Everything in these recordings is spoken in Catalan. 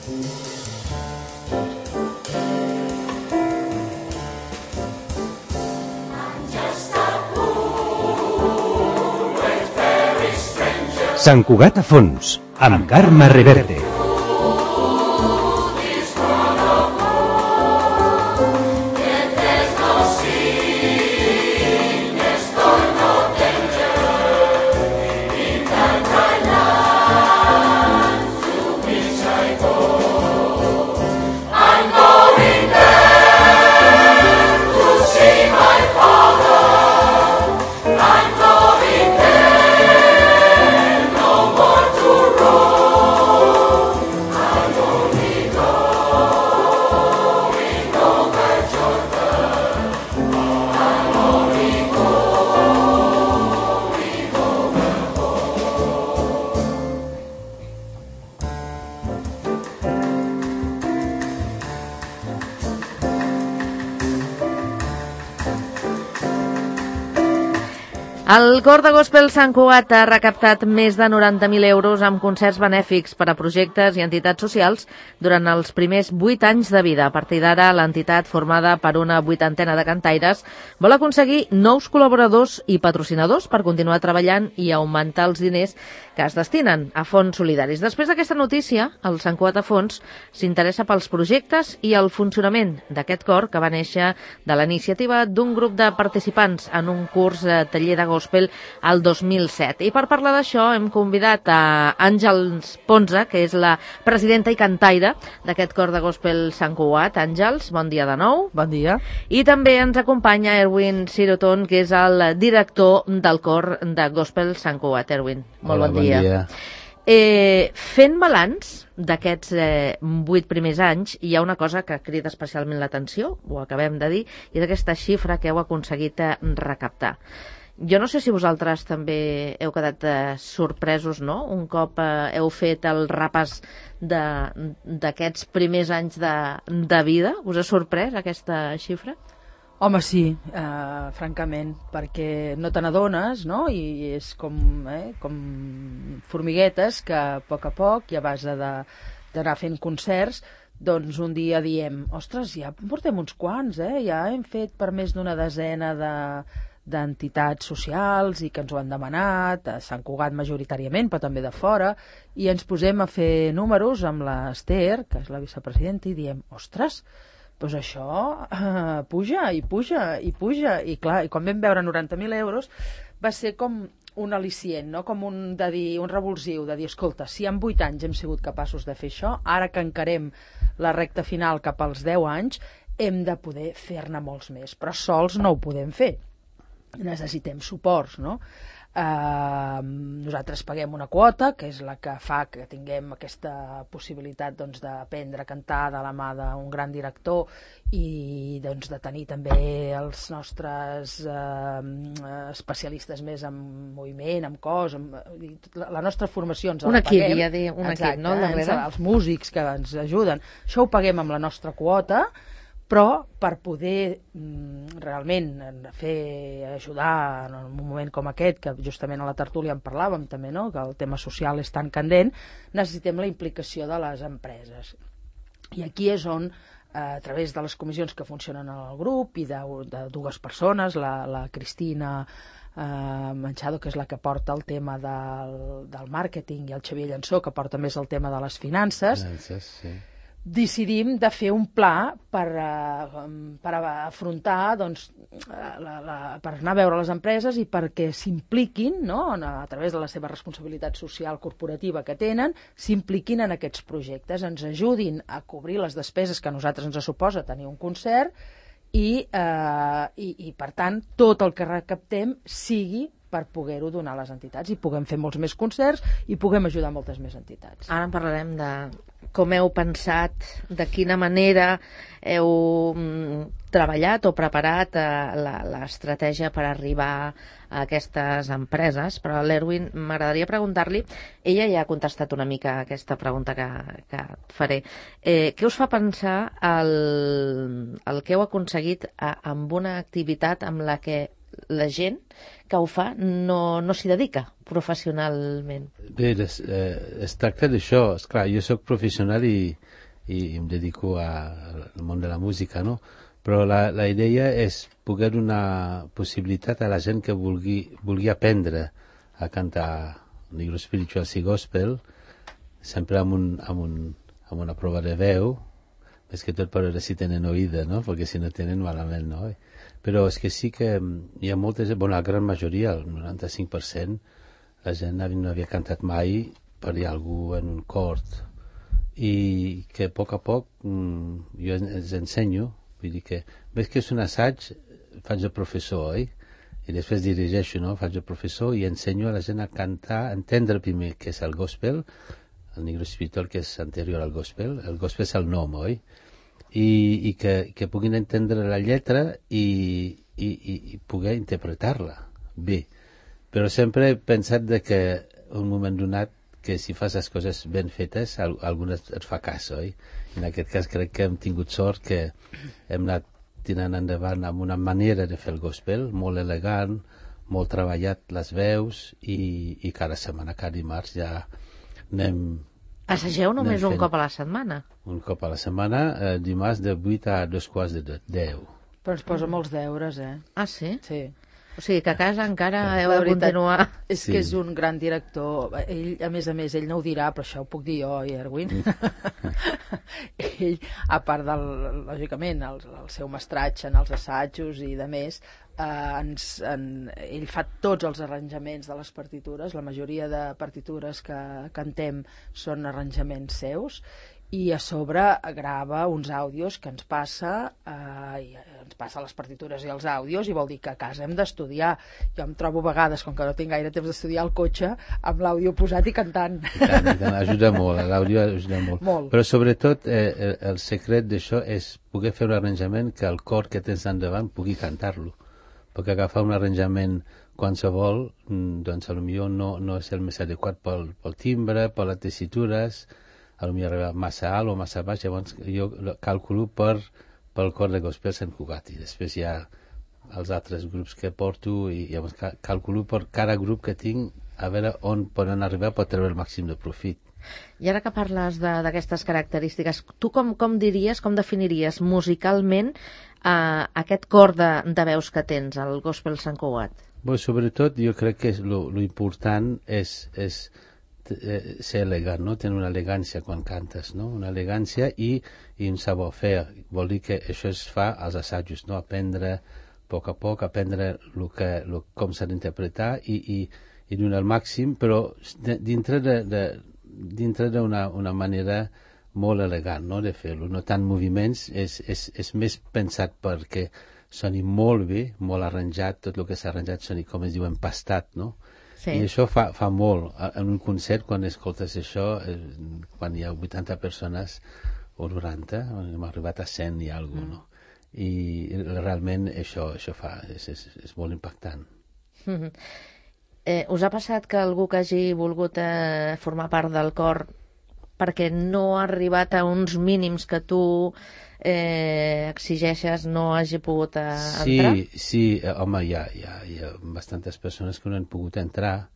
Sant Cugat a fons, amb Carme Reverte. El Cor de Gospel Sant Cugat ha recaptat més de 90.000 euros amb concerts benèfics per a projectes i entitats socials durant els primers 8 anys de vida. A partir d'ara, l'entitat, formada per una 80ena de cantaires, vol aconseguir nous col·laboradors i patrocinadors per continuar treballant i augmentar els diners que es destinen a fons solidaris. Després d'aquesta notícia, el Sant Cugat a Fons s'interessa pels projectes i el funcionament d'aquest cor que va néixer de la iniciativa d'un grup de participants en un curs taller de gospel al 2007. I per parlar d'això hem convidat a Àngels Ponsa, que és la presidenta i cantaire d'aquest cor de gospel Sant Cugat. Àngels, bon dia de nou. Bon dia. I també ens acompanya Erwin Siroton, que és el director del cor de gospel Sant Cugat. Erwin, molt bon dia. Bon dia. Fent balanç d'aquests 8 primers anys, hi ha una cosa que crida especialment l'atenció, ho acabem de dir, i és aquesta xifra que heu aconseguit recaptar. Jo no sé si vosaltres també heu quedat sorpresos, no? Un cop heu fet el repàs d'aquests primers anys de vida. Us ha sorprès aquesta xifra? Home, sí, francament, perquè no te n'adones, no? I és com formiguetes que a poc i a base d'anar fent concerts, doncs un dia diem, ostres, ja portem uns quants, ja hem fet per més d'una desena d'entitats socials i que ens ho han demanat, a Sant Cugat majoritàriament, però també de fora, i ens posem a fer números amb l'Ester, que és la vicepresidenta, i diem, ostres, doncs això puja, i clar, i quan vam veure 90.000 euros va ser com un al·licient, no? Com un revulsiu de dir, escolta, si en 8 anys hem sigut capaços de fer això, ara que encarem la recta final cap als 10 anys, hem de poder fer-ne molts més, però sols no ho podem fer. Necessitem suports, no? Nosaltres paguem una quota, que és la que fa que tinguem aquesta possibilitat d'aprendre a cantar de la mà d'un gran director i de tenir també els nostres especialistes més en moviment, en cos, la nostra formació ens la paguem. Un equip, no? Els músics que ens ajuden. Això ho paguem amb la nostra quota, però per poder realment ajudar en un moment com aquest, que justament a la tertúlia en parlàvem també, no? Que el tema social és tan candent, necessitem la implicació de les empreses. I aquí és on, a través de les comissions que funcionen al grup i de dues persones, la Cristina Manchado, que és la que porta el tema del màrqueting, i el Xavier Llançó, que porta més el tema de les finances, sí. Decidim de fer un pla per afrontar, per anar a veure les empreses i perquè s'impliquin, no? A través de la seva responsabilitat social corporativa que tenen, s'impliquin en aquests projectes, ens ajudin a cobrir les despeses que a nosaltres ens suposa tenir un concert i per tant, tot el que recaptem sigui per poder-ho donar a les entitats i puguem fer molts més concerts i puguem ajudar moltes més entitats. Ara en parlarem de com heu pensat, de quina manera heu treballat o preparat l'estratègia per arribar a aquestes empreses, però a l'Erwin m'agradaria preguntar-li, ella ja ha contestat una mica aquesta pregunta que et faré. Què us fa pensar el que heu aconseguit amb una activitat amb la que la gent que ho fa no s'hi dedica professionalment. Bé, es tracta d'això. Esclar, jo sóc professional i em dedico al món de la música, no? Però la idea és poder donar possibilitat a la gent que vulgui aprendre a cantar Negro Spirituals i Gospel, sempre amb una prova de veu, més que tot per veure si tenen oïda, no? Perquè si no tenen, malament, no? Però és que sí que hi ha moltes, la gran majoria, el 95%, la gent no havia cantat mai per dir algú en un cor, i que a poc jo els ensenyo, vull dir que, ves que és un assaig, faig de professor, oi? I després dirigeixo, no? Faig de professor i ensenyo a la gent a cantar, a entendre primer què és el gospel, el Negro Spiritual, que és anterior al gospel. El gospel és el nom, oi? I que puguin entendre la lletra i poder interpretar-la bé. Però sempre he pensat que un moment donat, que si fas les coses ben fetes, algunes et fa cas, oi? En aquest cas crec que hem tingut sort que hem anat tirant endavant amb una manera de fer el gospel, molt elegant, molt treballat les veus, i cada setmana, cada dimarts ja anem... Assageu només un cop a la setmana? Un cop a la setmana, dimarts de 8 a 2:15 de 10. Però ens posa molts deures, Ah, sí? Sí. O sigui que a casa encara heu de continuar. És que és un gran director. Ell, a més, ell no ho dirà, però això ho puc dir jo, Erwin. Ell, a part lògicament, el seu mestratge en els assajos i de més, ell fa tots els arranjaments de les partitures. La majoria de partitures que cantem són arranjaments seus, i a sobre grava uns àudios que ens passa, ens passa les partitures i els àudios, i vol dir que a casa hem d'estudiar. Jo em trobo a vegades, com que no tinc gaire temps d'estudiar, al cotxe amb l'àudio posat i cantant. I tant, ajuda molt, l'àudio ajuda molt. Però sobretot el secret d'això és poder fer un arranjament que el cor que tens endavant pugui cantar-lo, perquè agafar un arranjament qualsevol, doncs potser no és el més adequat pel timbre, per les tessitures, potser arriba massa alt o massa baix. Llavors jo calculo pel cor de gospel Sant Cugat, i després hi ha els altres grups que porto, i llavors calculo per cada grup que tinc a veure on poden arribar per treure el màxim de profit. I ara que parles d'aquestes característiques, tu com diries, com definiries musicalment aquest cor de veus que tens, el gospel Sant Cugat? Sobretot jo crec que lo important és ser elegant, no? Tenir una elegància quan cantes, no? Una elegància i un savoir-faire. Vol dir que això es fa als assajos, no? Aprendre a poc, aprendre com s'ha d'interpretar i donar el màxim, però dintre d'una manera molt elegant, no? De fer-lo. No tant moviments, és més pensat perquè soni molt bé, molt arranjat, tot el que s'ha arranjat soni, com es diu, empastat, no? Sí. I això fa molt. En un concert, quan escoltes això, quan hi ha 80 persones o 90, hem arribat a 100 i alguna cosa, no? I realment això és molt impactant. Us ha passat que algú que hagi volgut formar part del cor perquè no ha arribat a uns mínims que tu exigeixes no hagi pogut entrar? Sí, home, hi ha bastantes persones que no han pogut entrar,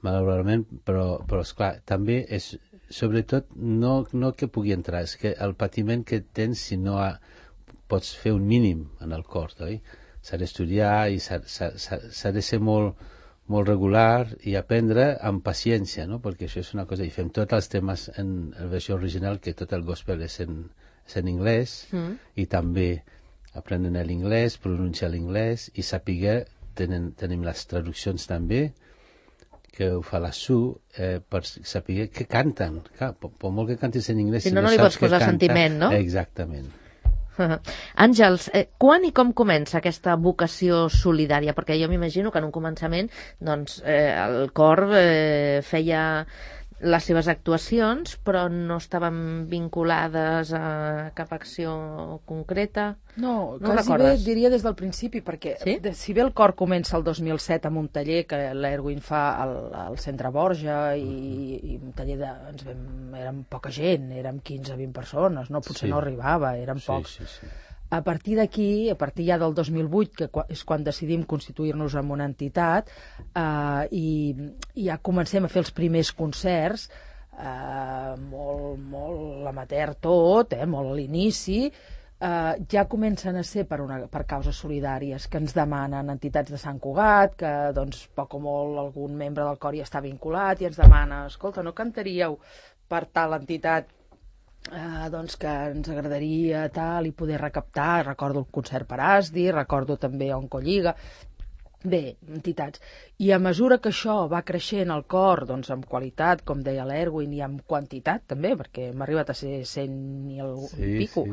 malauradament, però esclar, també és, sobretot, no que pugui entrar, és que el patiment que tens si no pots fer un mínim en el cor, oi? S'ha d'estudiar i s'ha de ser molt regular i aprendre amb paciència, no? Perquè això és una cosa, i fem tots els temes en la versió original, que tot el gospel és en anglès, i també aprenen l'anglès, pronunciar l'anglès, i saber, tenim les traduccions també, que ho fa la Su, per saber què canten. Clar, per molt que cantis en anglès, si no li pots posar sentiment, no? Exactament. Àngels, quan i com comença aquesta vocació solidària? Perquè jo m'imagino que en un començament doncs, el cor feia les seves actuacions, però no estaven vinculades a cap acció concreta. No quasi bé diria des del principi, perquè sí? Si bé el cor comença el 2007 amb un taller que l'Erwin fa al Centre Borja, i un taller érem poca gent, érem 15-20 persones, no? Potser no arribava, érem pocs. Sí. A partir d'aquí, a partir ja del 2008, que és quan decidim constituir-nos en una entitat, i ja comencem a fer els primers concerts, molt amateur tot, molt a l'inici, ja comencen a ser per causes solidàries que ens demanen entitats de Sant Cugat, que doncs, poc o molt algun membre del cor hi està vinculat i ens demana, escolta, no cantaríeu per tal entitat doncs que ens agradaria tal i poder recaptar. Recordo el concert per Asdi, recordo també Oncolliga, bé, entitats. I a mesura que això va creixent el cor, doncs amb qualitat, com deia l'Erwin, i amb quantitat també, perquè m'ha arribat a ser 100 i pico,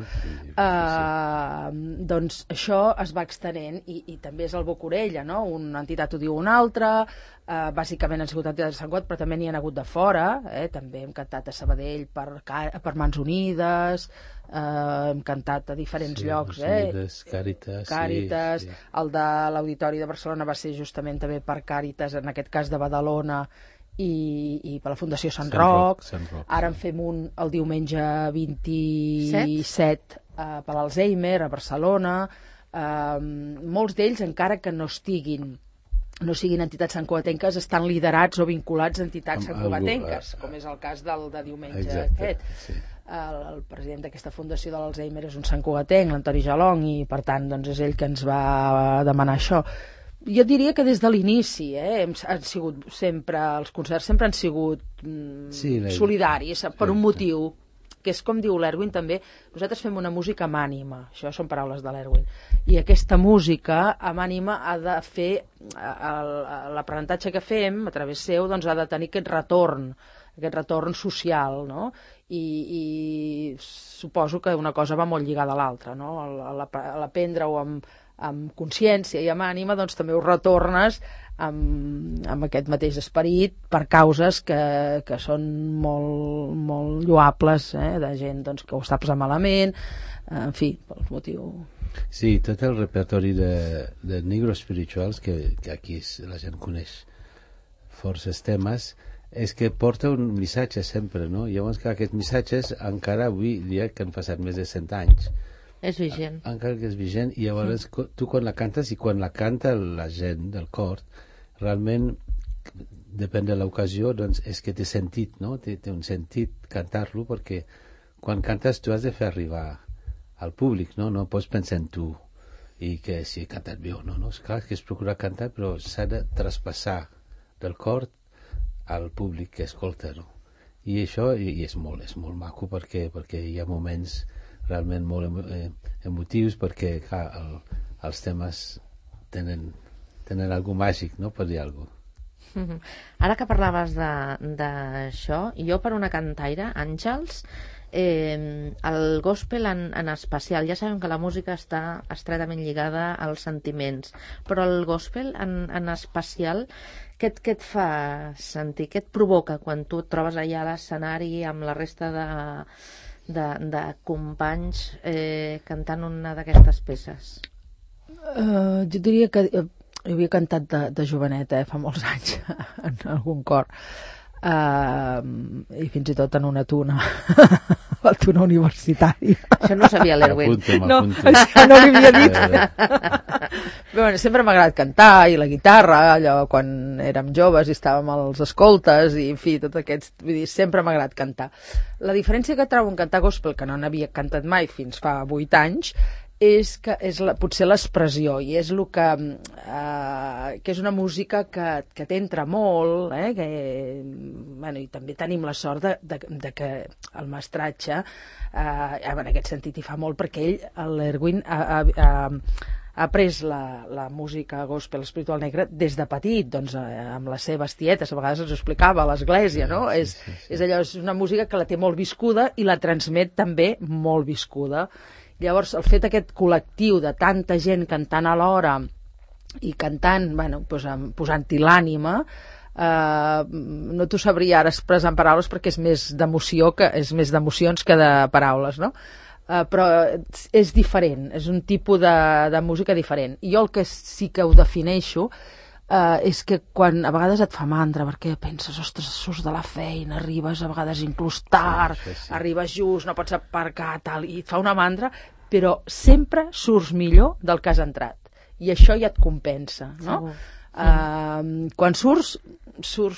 doncs això es va extenent i també és el boca-orella, no? Una entitat ho diu una altra, bàsicament han sigut entitats de Sant Cugat, però també n'hi ha hagut de fora, també hem cantat a Sabadell per Mans Unides, hem cantat a diferents llocs, Càritas, el de l'Auditori de Barcelona va ser justament també per Càritas, en aquest cas de Badalona, i per la Fundació Sant Roc. Ara en fem un el diumenge 27 per l'Alzheimer a Barcelona. Molts d'ells, encara que no siguin entitats santcugatenques, estan liderats o vinculats a entitats santcugatenques, com és el cas del de diumenge aquest. El president d'aquesta fundació de l'Alzheimer és un santcugatenc, l'Antoni Jalong, i per tant doncs, és ell que ens va demanar això. Jo diria que des de l'inici han sigut sempre, els concerts sempre han sigut solidaris, per un motiu, que és com diu l'Erwin també, nosaltres fem una música amb ànima, això són paraules de l'Erwin, i aquesta música amb ànima ha de fer, l'aprenentatge que fem a través seu, doncs ha de tenir aquest retorn social, no? I suposo que una cosa va molt lligada a l'altra, no? A l'aprendre-ho amb consciència i amb ànima, doncs també ho retornes amb aquest mateix esperit per causes que són molt lloables, de gent doncs, que ho està passant malament, en fi, pel motiu. Sí, tot el repertori de Negro Spirituals, que aquí la gent coneix forces temes, és que porta un missatge sempre, no? Llavors que aquests missatges encara avui dia que han passat més de 100 anys és vigent. Encara que és vigent, i llavors tu quan la cantes i quan la canta la gent del cor, realment depèn de l'ocasió, doncs és que té sentit, no? Té un sentit cantar-lo, perquè quan cantes tu has de fer arribar al públic, no? No pots pensar en tu i que si he cantat bé o no, no? És clar que es procura cantar, però s'ha de traspassar del cor al públic que escolta, no? I això és molt maco, perquè hi ha moments realment molt emotius, perquè clar, els temes tenen algo màgic, no? Per dir alguna cosa. Ara que parlaves d'això, jo per una cantaire, Àngels, el gospel en especial, ja sabem que la música està estretament lligada als sentiments, però el gospel en especial, què et fa sentir? Què et provoca quan tu et trobes allà a l'escenari amb la resta de companys cantant una d'aquestes peces? Jo diria que jo havia cantat de joveneta, fa molts anys, en algun cor, i fins i tot en una tuna, la tuna universitària. Això no sabia l'Erwin. No, això no li havia dit. Però bueno, sempre m'ha agradat cantar, i la guitarra, allò quan érem joves i estàvem als escoltes, i en fi, tot aquests, vull dir, sempre m'ha agradat cantar. La diferència que trobo en cantar gospel, que no n'havia cantat mai fins fa 8 anys, és que és potser l'expressió, i és el que és una música que t'entra molt, i també tenim la sort de que el mestratge en aquest sentit hi fa molt, perquè ell, l'Erwin, ha pres la música gospel espiritual negra des de petit, doncs amb les seves tietes, a vegades ens ho explicava a l'església, no? És allò, és una música que la té molt viscuda i la transmet també molt viscuda. Llavors, el fet aquest col·lectiu de tanta gent cantant alhora i cantant, posant-hi l'ànima, no t'ho sabria ara expressar en paraules perquè és més d'emocions que de paraules, no? Però és diferent, és un tipus de música diferent. I jo el que sí que ho defineixo és que quan a vegades et fa mandra, perquè penses, ostres, surts de la feina, arribes a vegades inclús tard, arribes just, no pots aparcar, tal, i et fa una mandra, però sempre surts millor del que has entrat. I això ja et compensa, no? Quan surts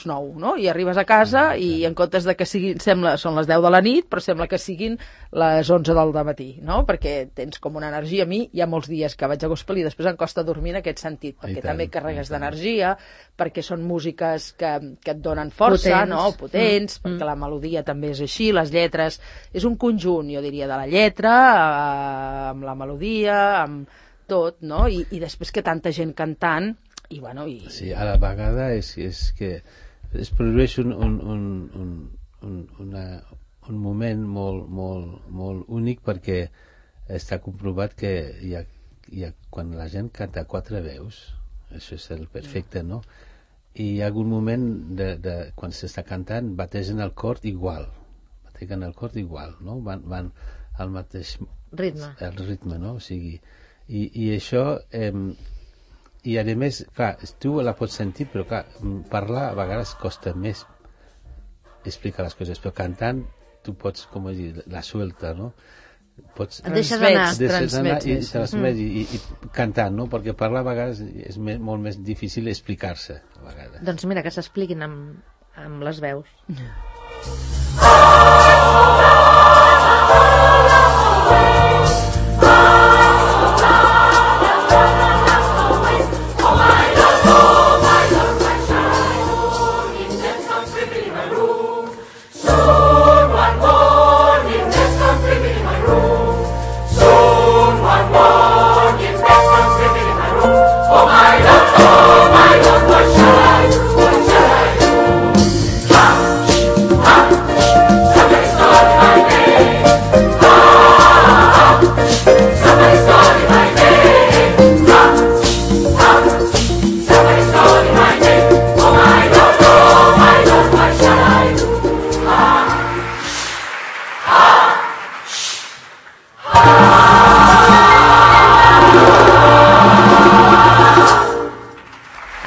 nou, no? I arribes a casa i en comptes de que són les 10 de la nit, però sembla que siguin les 11 del matí, no? Perquè tens com una energia. A mi hi ha molts dies que vaig a gospel i després em costa dormir en aquest sentit, perquè també carregues d'energia, perquè són músiques que et donen força, potents, perquè la melodia també és així, les lletres, és un conjunt, jo diria, de la lletra, amb la melodia, amb tot, no? I després que tanta gent cantant, i bueno... Sí, a la vegada és que es produeix un moment molt únic, perquè està comprovat que quan la gent canta 4 veus, això és el perfecte, no? I hi ha algun moment quan s'està cantant bategen el cor igual, no? Van al mateix ritme, no? O sigui, i això... I a més, clar, tu la pots sentir, però clar, parlar a vegades costa més explicar les coses, però cantant tu pots, com dir, la suelta, no? Pots transmets i cantant, no? Perquè parlar a vegades és molt més difícil explicar-se a vegades. Doncs mira, que s'expliquin amb les veus.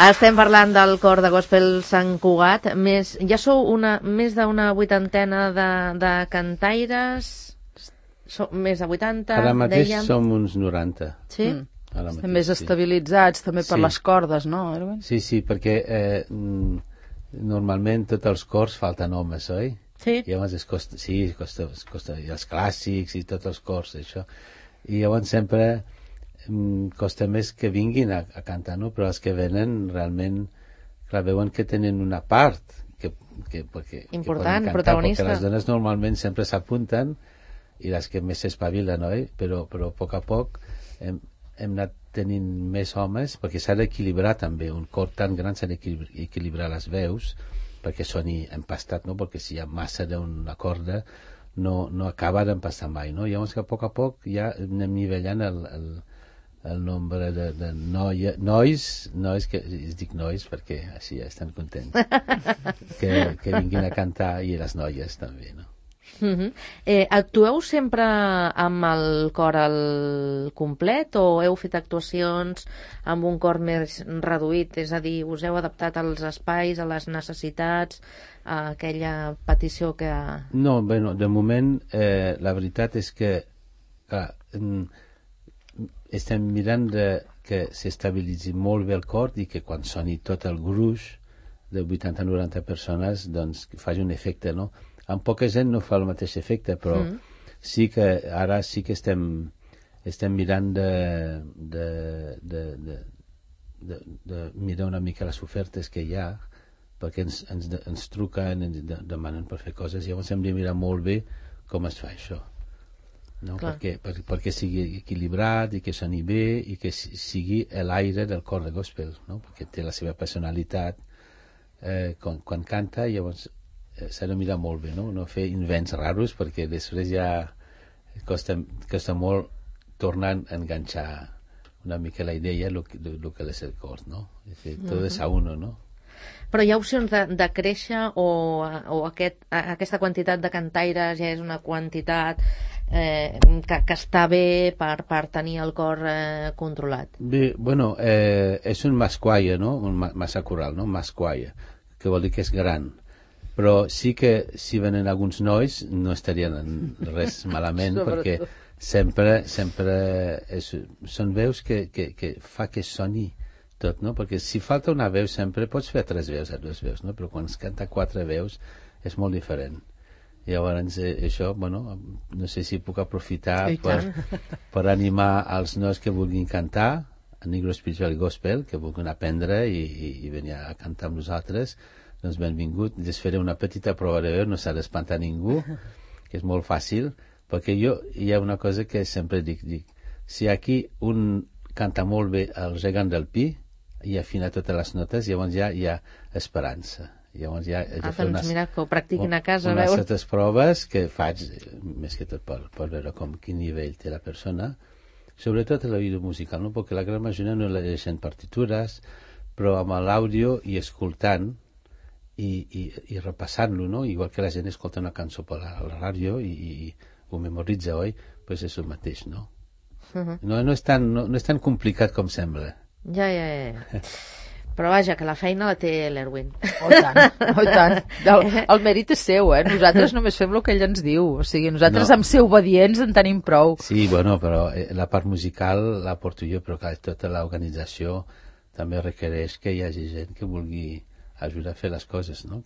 Estem parlant del cor de gospel Sant Cugat. Ja sou més d'una 80 de cantaires, més de 80, ara mateix dèiem. som uns 90. Sí? Estem més estabilitzats també per les cordes, no, Erwin? Sí, perquè normalment tots els cors falten homes, oi? Sí. I llavors costa, i els clàssics i tots els cors, això. I llavors sempre costa més que vinguin a cantar, no? Però els que venen realment, clar, veuen que tenen una part important, que protagonista, perquè les dones normalment sempre s'apunten i les que més s'espavilen, oi? Però a poc hem anat tenint més homes, perquè s'ha d'equilibrar també, un cor tan gran s'ha d'equilibrar les veus perquè soni empastat, no? Perquè si hi ha massa d'una corda no acaba d'empastar mai, no? Llavors que a poc ja anem nivellant el nombre de nois, que es dic nois perquè així ja estan contents que vinguin a cantar, i les noies també, no? Actueu sempre amb el cor al complet o heu fet actuacions amb un cor més reduït, és a dir, us heu adaptat als espais, a les necessitats, a aquella petició que... No, bueno, de moment la veritat és que estem mirant que s'estabilitzi molt bé el cor i que quan soni tot el gruix de 80-90 persones doncs faci un efecte, no? Amb poca gent no fa el mateix efecte, però sí que ara sí que estem mirant de mirar una mica les ofertes que hi ha, perquè ens truquen, ens demanen per fer coses, i llavors hem de mirar molt bé com es fa això, no? Perquè sigui equilibrat i que soni bé i que sigui l'aire del cor de gospel, no? Perquè té la seva personalitat quan canta, i llavors s'ha de mirar molt bé, no fer invents raros, perquè després ja costa molt tornar a enganxar una mica la idea lo que és el cor, no? Tot és a uno, no? Però hi ha opcions de créixer o aquesta quantitat de cantaires ja és una quantitat que està bé per tenir el cor controlat? Bé, bueno, és un masquaia, no? Un massa coral, no? Masquaia, que vol dir que és gran. Però sí que si venen alguns nois no estarien res malament, perquè sempre són veus que fa que soni tot, no? Perquè si falta una veu sempre pots fer 3 veus a 2 veus, no? Però quan es canta 4 veus és molt diferent. Llavors això, bueno, no sé si puc aprofitar per animar els nois que vulguin cantar a Negro Spiritual i Gospel, que vulguin aprendre i venir a cantar amb nosaltres. Doncs benvingut. Les faré una petita prova de veu, no s'ha d'espantar ningú, que és molt fàcil, perquè hi ha una cosa que sempre dic, si aquí un canta molt bé el gegant del pi i afina totes les notes, llavors ja hi ha esperança. Llavors ja doncs mira, que ho practiquin a casa, unes certes proves que faig, més que tot per veure quin nivell té la persona, sobretot l'oïdo musical, no? Perquè la gran majoria no llegeixen partitures, però amb l'àudio i escoltant i repassant-lo, no? Igual que la gent escolta una cançó per la ràdio i ho memoritza, oi? Pues és el mateix, no? No és tan complicat com sembla. Ja. Però vaja, que la feina la té l'Erwin. Oh, i tant. El mèrit és seu, Nosaltres només fem el que ell ens diu. O sigui, nosaltres amb ser obedients en tenim prou. Sí, bueno, però la part musical la porto jo, però clar, tota l'organització també requereix que hi hagi gent que vulgui ajudar a fer les coses, no?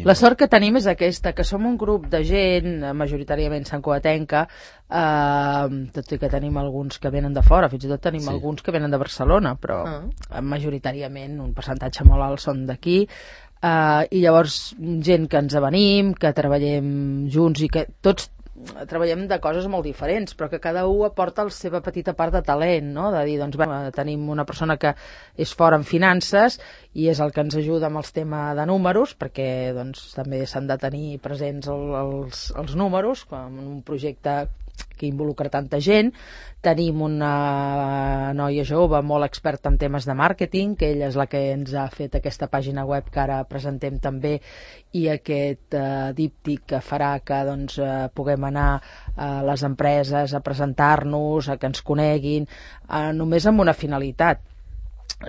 La sort que tenim és aquesta, que som un grup de gent, majoritàriament santcugatenca, tot i que tenim alguns que venen de fora, fins i tot tenim alguns que venen de Barcelona, però majoritàriament un percentatge molt alt són d'aquí, i llavors gent que ens avenim, que treballem junts i que tots treballem de coses molt diferents, però que cada un aporta la seva petita part de talent, no? De dir, doncs, tenim una persona que és fora en finances i és el que ens ajuda amb els temes de números, perquè doncs, també s'han de tenir presents els números, en un projecte que involucra tanta gent. Tenim una noia jove molt experta en temes de màrqueting, que ella és la que ens ha fet aquesta pàgina web que ara presentem també, i aquest díptic que farà que doncs, puguem anar a les empreses a presentar-nos, a que ens coneguin, només amb una finalitat.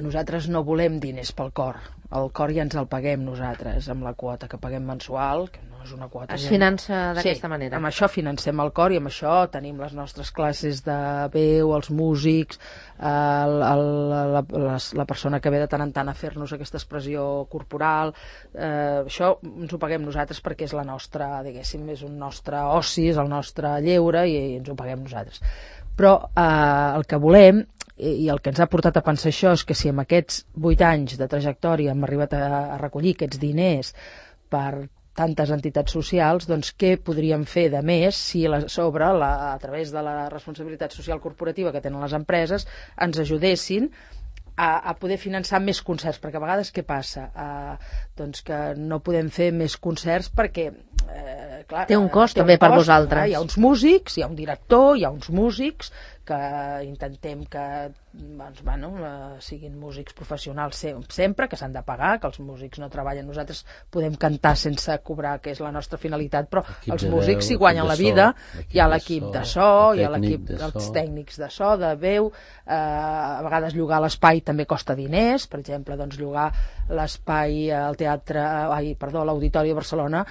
Nosaltres no volem diners pel cor. El cor ja ens el paguem nosaltres, amb la quota que paguem mensual, que no és una quota... Es finança d'aquesta manera. Amb això financem el cor i amb això tenim les nostres classes de veu, els músics, la persona que ve de tant en tant a fer-nos aquesta expressió corporal. Això ens ho paguem nosaltres perquè és la nostra, diguéssim, és un nostre oci, és el nostre lleure i ens ho paguem nosaltres. Però el que volem i el que ens ha portat a pensar això és que si en aquests 8 anys de trajectòria hem arribat a recollir aquests diners per tantes entitats socials, doncs què podríem fer de més si a través de la responsabilitat social corporativa que tenen les empreses ens ajudessin a poder finançar més concerts, perquè a vegades què passa? Doncs que no podem fer més concerts perquè clar, té un cost també per vosaltres. Hi ha uns músics, hi ha un director, hi ha uns músics que intentem que doncs, siguin músics professionals sempre, que s'han de pagar, que els músics no treballen. Nosaltres podem cantar sense cobrar, que és la nostra finalitat, però els músics s'hi guanyen la vida. Hi ha l'equip de so, hi ha l'equip dels tècnics de so, de veu, a vegades llogar l'espai també costa diners. Per exemple, doncs, llogar l'espai al l'Auditori de Barcelona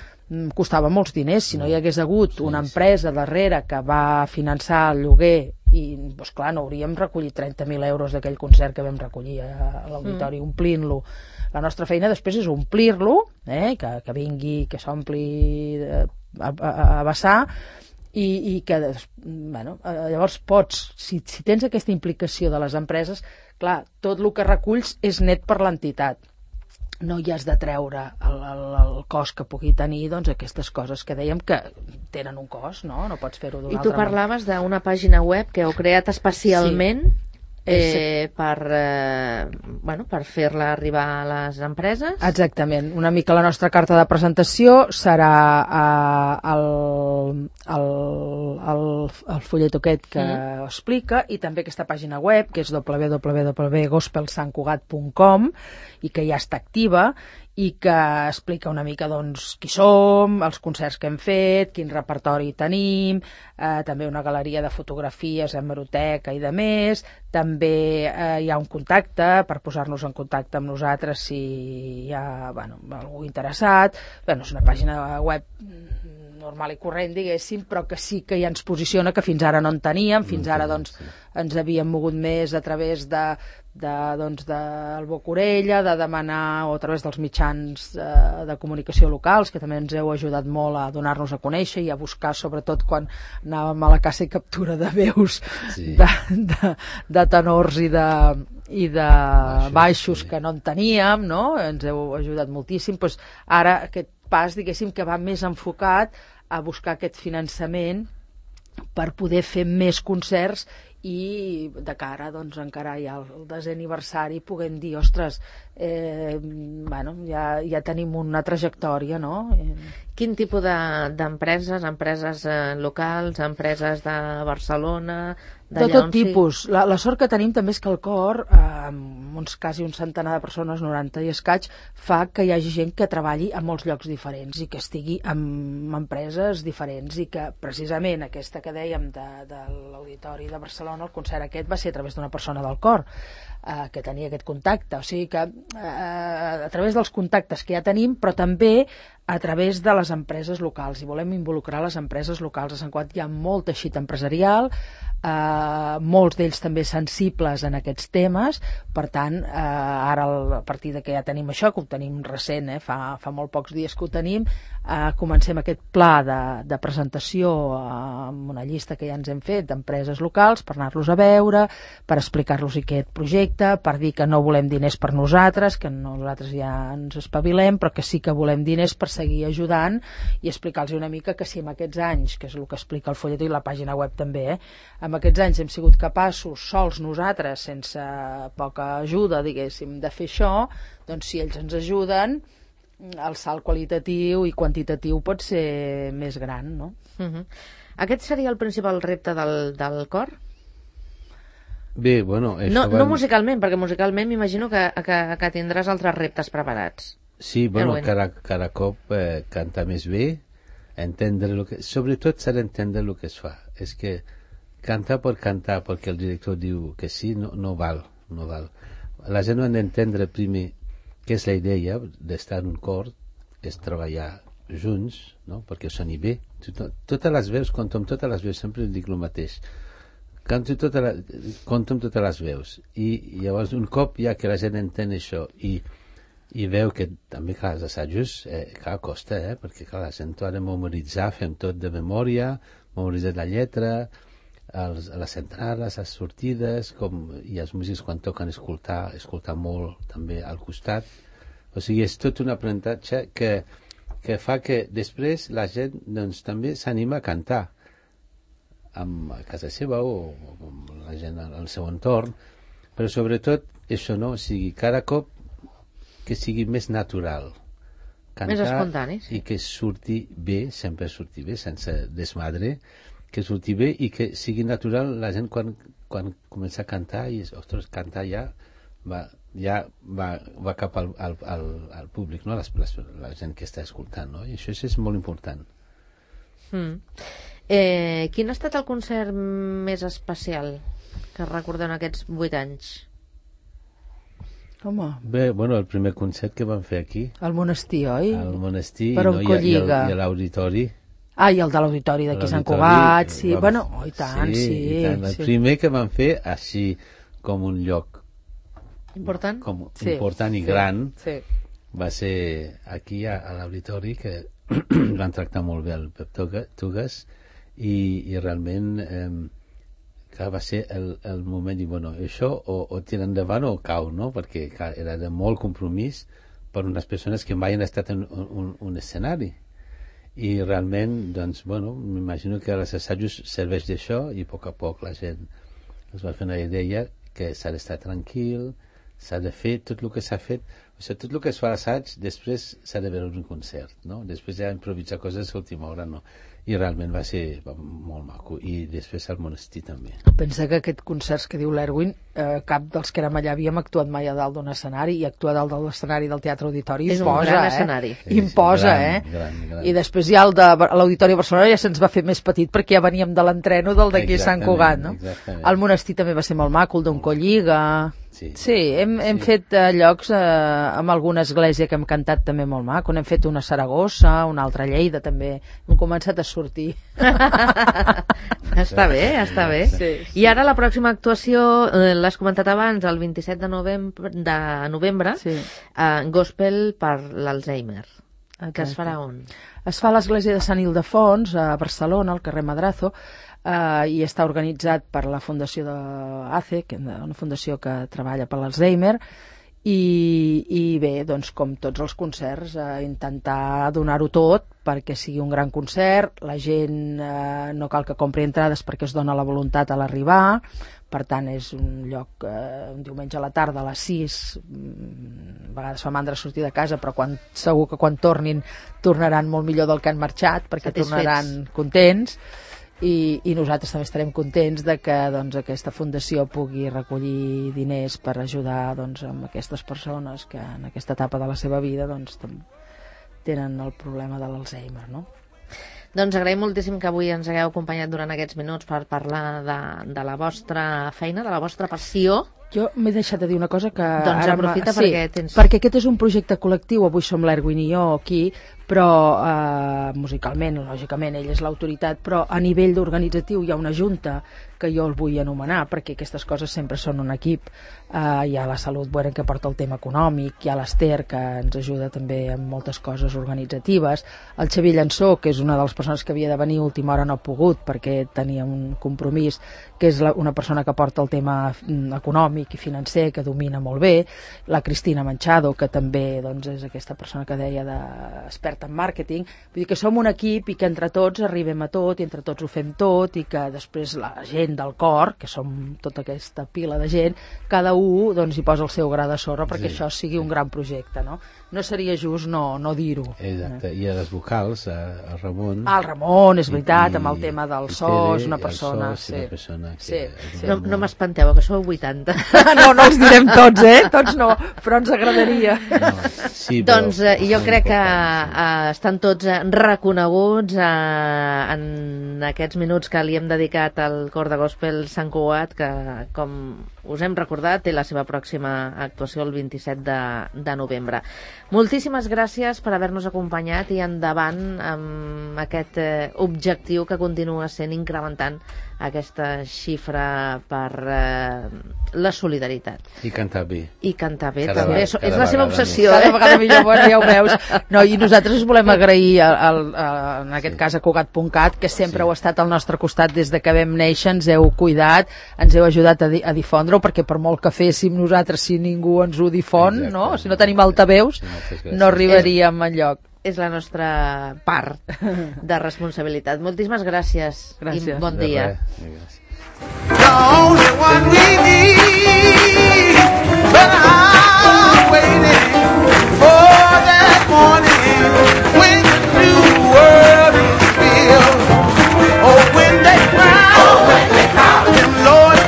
costava molts diners. Si no hi hagués hagut una empresa darrere que va finançar el lloguer, i doncs, clar, no hauríem recollit 30.000 euros d'aquell concert que vam recollir a l'auditori, omplint-lo. La nostra feina després és omplir-lo, que vingui, que s'ompli a vessar, i que llavors pots, si tens aquesta implicació de les empreses, clar, tot el que reculls és net per l'entitat. No hi has de treure el cost que pugui tenir doncs, aquestes coses que dèiem que tenen un cost, no? No pots fer-ho d'una altra manera. I tu parlaves d'una pàgina web que heu creat especialment per fer-la arribar a les empreses? Exactament. Una mica la nostra carta de presentació serà el follet aquest que explica, i també aquesta pàgina web que és www.gospelsantcugat.com i que ja està activa i que explica una mica doncs, qui som, els concerts que hem fet, quin repertori tenim, també una galeria de fotografies, hemeroteca i de més. També hi ha un contacte per posar-nos en contacte amb nosaltres si hi ha algú interessat. És una pàgina web normal i corrent, diguéssim, però que sí que ja ens posiciona, que fins ara no en teníem, fins ara doncs, ens havíem mogut més a través del boca-orella, de demanar, o a través dels mitjans de comunicació locals, que també ens heu ajudat molt a donar-nos a conèixer i a buscar, sobretot quan anàvem a la caça i captura de veus, de tenors i de baixos que no en teníem, no? Ens heu ajudat moltíssim. Ara aquest pas, diguéssim, que va més enfocat a buscar aquest finançament per poder fer més concerts i de cara doncs, encara ja al 10è aniversari puguem dir, ostres, ja tenim una trajectòria, no? Quin tipus d'empreses? Empreses locals, empreses de Barcelona? De tot tipus. La sort que tenim també és que el cor, amb uns quasi un centenar de persones, 90 i escaig, fa que hi hagi gent que treballi a molts llocs diferents i que estigui en empreses diferents, i que precisament aquesta que dèiem de l'Auditori de Barcelona, el concert aquest va ser a través d'una persona del cor que tenia aquest contacte. O sigui que a través dels contactes que ja tenim, però també a través de les empreses locals, i volem involucrar les empreses locals. A Sant Cugat hi ha molt teixit empresarial, molts d'ells també sensibles en aquests temes. Per tant, ara a partir de que ja tenim això, que ho tenim recent, fa molt pocs dies que ho tenim, comencem aquest pla de presentació amb una llista que ja ens hem fet d'empreses locals per anar-los a veure, per explicar-los aquest projecte, per dir que no volem diners per nosaltres, que nosaltres ja ens espavilem, però que sí que volem diners per seguir ajudant, i explicar-los una mica que si en aquests anys, que és el que explica el folletó i la pàgina web també, en aquests anys hem sigut capaços, sols nosaltres, sense poca ajuda, diguéssim, de fer això, doncs si ells ens ajuden, el salt qualitatiu i quantitatiu pot ser més gran, no? Aquest seria el principal repte del cor? Bé, bueno... No musicalment, perquè musicalment m'imagino que tindràs altres reptes preparats. Sí, bueno, cada cop cantar més bé, sobretot s'ha d'entendre el que es fa. És que cantar per cantar, perquè el director diu que sí, no val. La gent no ha d'entendre primer què és la idea d'estar en un cor, és treballar junts, no? Perquè soni bé. Totes les veus, compto amb totes les veus, sempre dic el mateix. Compto amb totes les veus. I llavors, un cop ja que la gent entén això i veu que també, clar, els assajos costa, perquè clar, la gent ho ha de memoritzar, fem tot de memòria, memoritzar la lletra, les entrades, les sortides, i els músics quan toquen escoltar molt també al costat. O sigui, és tot un aprenentatge que fa que després la gent doncs, també s'anima a cantar a casa seva o la gent al seu entorn, però sobretot això, no? O sigui, cada cop que sigui més natural cantar, més espontani, sí. I que surti bé, sempre surti bé, sense desmadre, que surti bé i que sigui natural. La gent quan comença a cantar i ostres, cantar ja va cap al públic, no? La gent que està escoltant, no? I això és molt important. Quin ha estat el concert més especial que recordeu en aquests 8 anys? Home. Bé, bueno, el primer concert que vam fer aquí. Al monestir, oi? Al monestir, per i a l'auditori. I el de l'auditori d'aquí Sant Cugat, sí. Bueno, i tant, sí. I tant. El primer que vam fer així com un lloc important, important i gran, va ser aquí a l'auditori, que van tractar molt bé el Pep Tugas, i realment que va ser el moment de dir, bueno, això o tira endavant o cau, no? Perquè clar, era de molt compromís per unes persones que mai han estat en un escenari. I realment, doncs, bueno, m'imagino que els assajos serveix d'això, i a poc la gent es va fer una idea que s'ha d'estar tranquil, s'ha de fer tot el que s'ha fet. O sigui, tot el que es fa a l'assaig, després s'ha de veure un concert, no? Després ja improvisar coses a l'última hora, no? I realment va ser molt maco. i després al monestir també. Pensa que aquest concerts que diu l'Erwin, cap dels que érem allà havíem actuat mai a dalt d'un escenari, i actuar a dalt de l'escenari del Teatre Auditori És un imposa, gran escenari. Imposa, Gran. I després ja el de l'Auditori Barcelona ja se'ns va fer més petit perquè ja veníem de l'entreno del d'aquí a Sant Cugat, no? Exactament. El monestir també va ser molt maco, el d'on Colliga... Sí, hem fet llocs amb alguna església que hem cantat també molt maco, n'hem fet una a Saragossa, una altra a Lleida també, hem començat a sortir. Està bé. Sí. I ara la pròxima actuació, l'has comentat abans, el 27 de novembre, Sí. Gospel per l'Alzheimer, que es farà on? Es fa a l'església de Sant Ildefons, a Barcelona, al carrer Madrazo, i està organitzat per la fundació de ACE, una fundació que treballa per l'Alzheimer, i bé, doncs com tots els concerts, intentar donar-ho tot perquè sigui un gran concert, la gent no cal que compri entrades perquè es dona la voluntat a l'arribar, per tant és un lloc un diumenge a la tarda a les 6, a vegades fa mandra sortir de casa, però segur que quan tornin tornaran molt millor del que han marxat, perquè tornaran contents. I nosaltres també estarem contents de que doncs, aquesta fundació pugui recollir diners per ajudar doncs, amb aquestes persones que en aquesta etapa de la seva vida doncs, tenen el problema de l'Alzheimer, no? Doncs agraïm moltíssim que avui ens hagueu acompanyat durant aquests minuts per parlar de la vostra feina, de la vostra passió. Jo m'he deixat de dir una cosa que... Doncs aprofita perquè tens... Perquè aquest és un projecte col·lectiu, avui som l'Erwin i jo aquí, però musicalment, lògicament, ell és l'autoritat, però a nivell organitzatiu hi ha una junta que jo el vull anomenar, perquè aquestes coses sempre són un equip. Hi ha la Salut Bueren que porta el tema econòmic, hi ha l'Ester que ens ajuda també amb moltes coses organitzatives, el Xavier Llançó, que és una de les persones que havia de venir, a última hora no ha pogut perquè tenia un compromís, que és una persona que porta el tema econòmic i financer, que domina molt bé, la Cristina Manchado, que també doncs, és aquesta persona que deia experta en màrqueting. Vull dir que som un equip i que entre tots arribem a tot i entre tots ho fem tot i que després la gent del cor, que som tota aquesta pila de gent, cada un doncs, hi posa el seu gra de sorra perquè això sigui un gran projecte, no? No seria just no dir-ho. Exacte, i a les vocals, el Ramon... El Ramon, és veritat, amb el tema del so, és una persona... No m'espanteu, que sou 80. No els direm tots, Tots no, però ens agradaria. Doncs jo crec que estan tots reconeguts en aquests minuts que li hem dedicat al cor de Gospel Sant Cugat, que, com us hem recordat, té la seva pròxima actuació el 27 de novembre. Moltíssimes gràcies per haver-nos acompanyat i endavant amb aquest objectiu que continua sent incrementant aquesta xifra per la solidaritat. I cantar bé. I cantar bé també. És la seva obsessió. Cada vegada millor, bueno, ja ho veus. No, i nosaltres us volem agrair, en aquest cas a Cugat.cat, que sempre heu estat al nostre costat des de que vam néixer, ens heu cuidat, ens heu ajudat a difondre-ho, perquè per molt que féssim nosaltres, si ningú ens ho difon, no? Si no tenim altaveus, no arribaríem enlloc. És la nostra part de responsabilitat. Moltíssimes gràcies. Gràcies. I bon dia. The only one we need, but I'm waiting for that morning when the new world is filled. Oh, when they crown him Lord,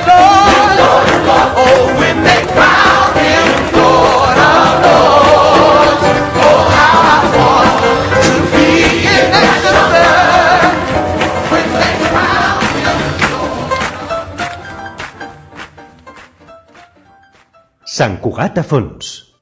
oh, when they crown him Lord of Lords. Oh, how I want to be in that number when they crown him Lord. Sant Cugat a fons.